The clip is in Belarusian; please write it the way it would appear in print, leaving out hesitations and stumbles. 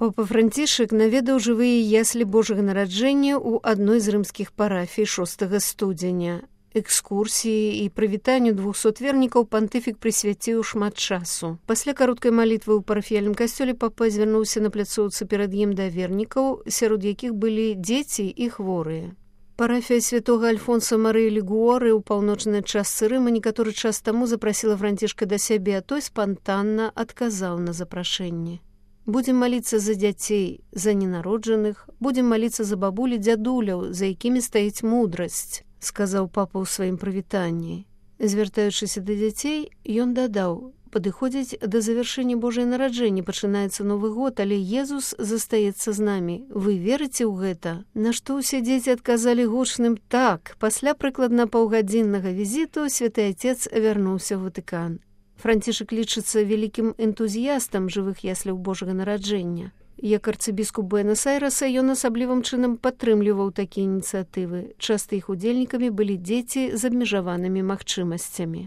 Папа Францішак наведаў жывыя яслі Божага нараджэння ў адной з рымскіх парафій 6 студзеня. Экскурсіі і прывітанню 200 вернікаў пантыфік прысвяціў шмат часу. Пасля кароткай малітвы ў парафіяльным касцёле папа звярнуўся на пляцоўцы перад ім да вернікаў, сярод якіх былі дзеці і хворыя. Парафія святога Альфонса Марыі Лігуоры ў паўночнай частцы Рыма некаторы час таму запрасіла Францішка да сябе, а той спантанна адказаў на запрашэнне. Будзем маліцца за дзяцей, за ненароджаных, будзем маліцца за бабулі дзядуляў, за якімі стаіць мудрасць, сказаў папа ў сваім прывітанні. Звяртаючыся да дзяцей, ён дадаў: падыходзіць да завяршэння Божае нараджэння, пачынаецца Новы год, але Езус застаецца з намі. Вы верыце ў гэта? На што ўсе дзеці адказалі гучным «так». Пасля прыкладна паўгадзіннага візіту святы Отец вярнуўся ў Ватыкан. Францішак лічыцца вялікім энтузіястам жывых ясляў Божага нараджэння. Як арцыбіскуп Буэнас-Айрэса ён асаблівым чынам падтрымліваў такія ініцыятывы. Часта іх удзельнікамі былі дзеці з абмежаванымі магчымасцямі.